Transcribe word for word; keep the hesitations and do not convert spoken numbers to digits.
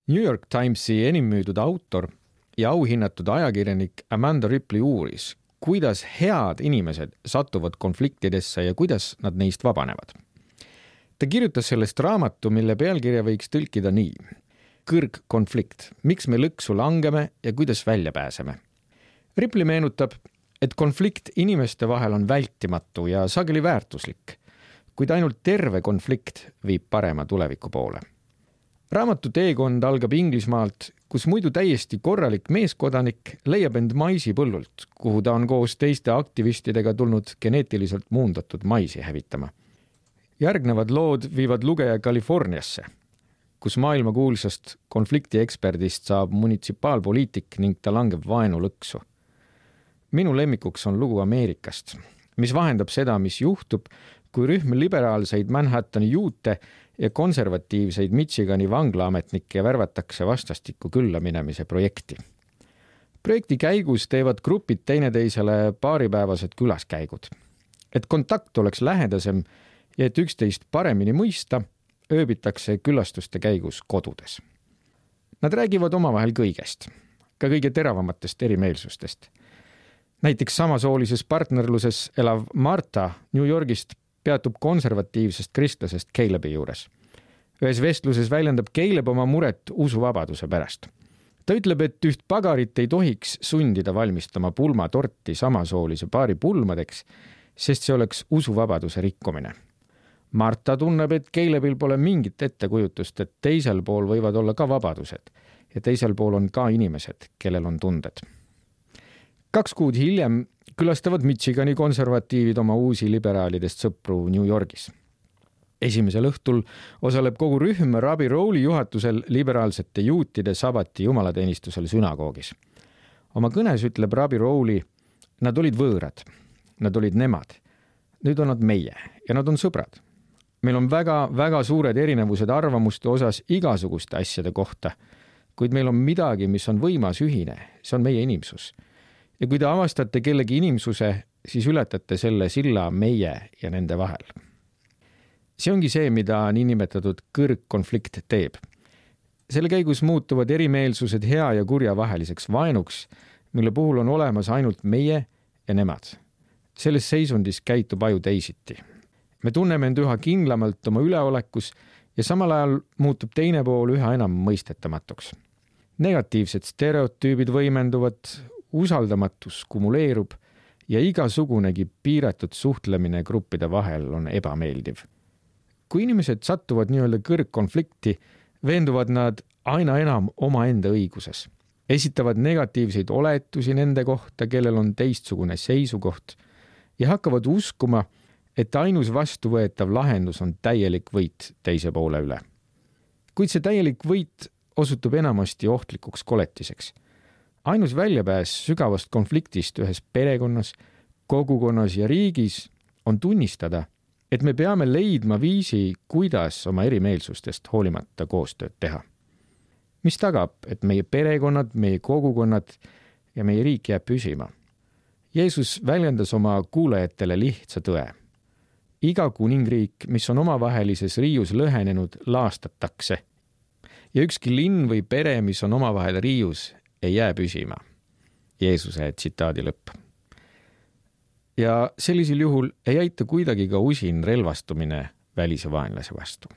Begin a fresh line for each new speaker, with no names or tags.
New York Timesi enim müüdud autor ja auhinnatud ajakirjanik Amanda Ripley uuris, kuidas head inimesed satuvad konfliktidesse ja kuidas nad neist vabanevad. Ta kirjutas sellest raamatu, mille pealkirja võiks tõlkida nii. Kõrgkonflikt, miks me lõksu langeme ja kuidas välja pääseme. Ripley meenutab, et konflikt inimeste vahel on vältimatu ja sageli väärtuslik, kuid ainult terve konflikt viib parema tuleviku poole. Raamatu teekond algab Inglismaalt, kus muidu täiesti korralik meeskodanik leiab end maisipõllult, kuhu ta on koos teiste aktivistidega tulnud geneetiliselt muundatud maisi hävitama. Järgnevad lood viivad lugeja Californiasse, kus maailmakuulsast konfliktieksperdist saab munitsipaalpoliitik ning ta langeb vaenu lõksu. Minu lemmikuks on lugu Ameerikast, mis vahendab seda, mis juhtub, kui rühm liberaalseid Manhattani juute ja konservatiivseid Michigani vanglaametnikke värvatakse vastastikku külla minemise projekti. Projekti käigus teevad grupid teineteisele paaripäevased külaskäigud. Et kontakt oleks lähedasem ja et üksteist paremini mõista, ööbitakse külastuste käigus kodudes. Nad räägivad omavahel kõigest, ka kõige teravamatest erimeelsustest. Näiteks samasoolises partnerluses elav Marta New Yorgist peatub konservatiivsest kristlasest Caleb'i juures. Ühes vestluses väljendab Caleb oma muret usuvabaduse pärast. Ta ütleb, et üht pagarit ei tohiks sundida valmistama pulmatorti samasoolise paari pulmadeks, sest see oleks usuvabaduse rikkumine. Marta tunneb, et Caleb'il pole mingit ettekujutust, et teisel pool võivad olla ka vabadused ja teisel pool on ka inimesed, kellel on tunded. Kaks kuud hiljem külastavad Michigani konservatiivid oma uusi liberaalidest sõpru New Yorgis. Esimesel õhtul osaleb kogu rühm Rabbi Rowley juhatusel liberaalsete juutide sabati jumalateenistusel sünagoogis. Oma kõnes ütleb Rabbi Rowley, nad olid võõrad, nad olid nemad, nüüd on nad meie ja nad on sõbrad. Meil on väga, väga suured erinevused arvamuste osas igasuguste asjade kohta, kuid meil on midagi, mis on võimas ühine, see on meie inimsus. Ja kui te avastate kellegi inimsuse, siis ületate selle silla meie ja nende vahel. See ongi see, mida niinimetatud kõrgkonflikt teeb. Selle käigus muutuvad erimeelsused hea ja kurja vaheliseks vaenuks, mille puhul on olemas ainult meie ja nemad. Selles seisundis käitub aju teisiti. Me tunneme end üha kindlamalt oma üleolekus ja samal ajal muutub teine pool üha enam mõistetamatuks. Negatiivsed stereotüübid võimenduvad, usaldamatus kumuleerub ja igasugunegi piiratud suhtlemine gruppide vahel on ebameeldiv. Kui inimesed sattuvad nii-öelda kõrgkonflikti, veenduvad nad aina enam omaenda õiguses. Esitavad negatiivseid oletusi nende kohta, kellel on teistsugune seisukoht ja hakkavad uskuma, et ainus vastuvõetav lahendus on täielik võit teise poole üle. Kuid see täielik võit osutub enamasti ohtlikuks koletiseks. Ainus väljapääs sügavast konfliktist ühes perekonnas, kogukonnas ja riigis on tunnistada, et me peame leidma viisi, kuidas oma erimeelsustest hoolimata koostööd teha. Mis tagab, et meie perekonnad, meie kogukonnad ja meie riik jääb püsima. Jeesus väljendas oma kuulajatele lihtsa tõe. Iga kuningriik, mis on omavahelises riius lõhenenud, laastatakse. Ja ükski linn või pere, mis on omavahel riius, ei jää püsima. Jeesuse tsitaadi lõpp. Ja sellisel juhul ei aita kuidagi ka usin relvastumine välise vaenlase vastu.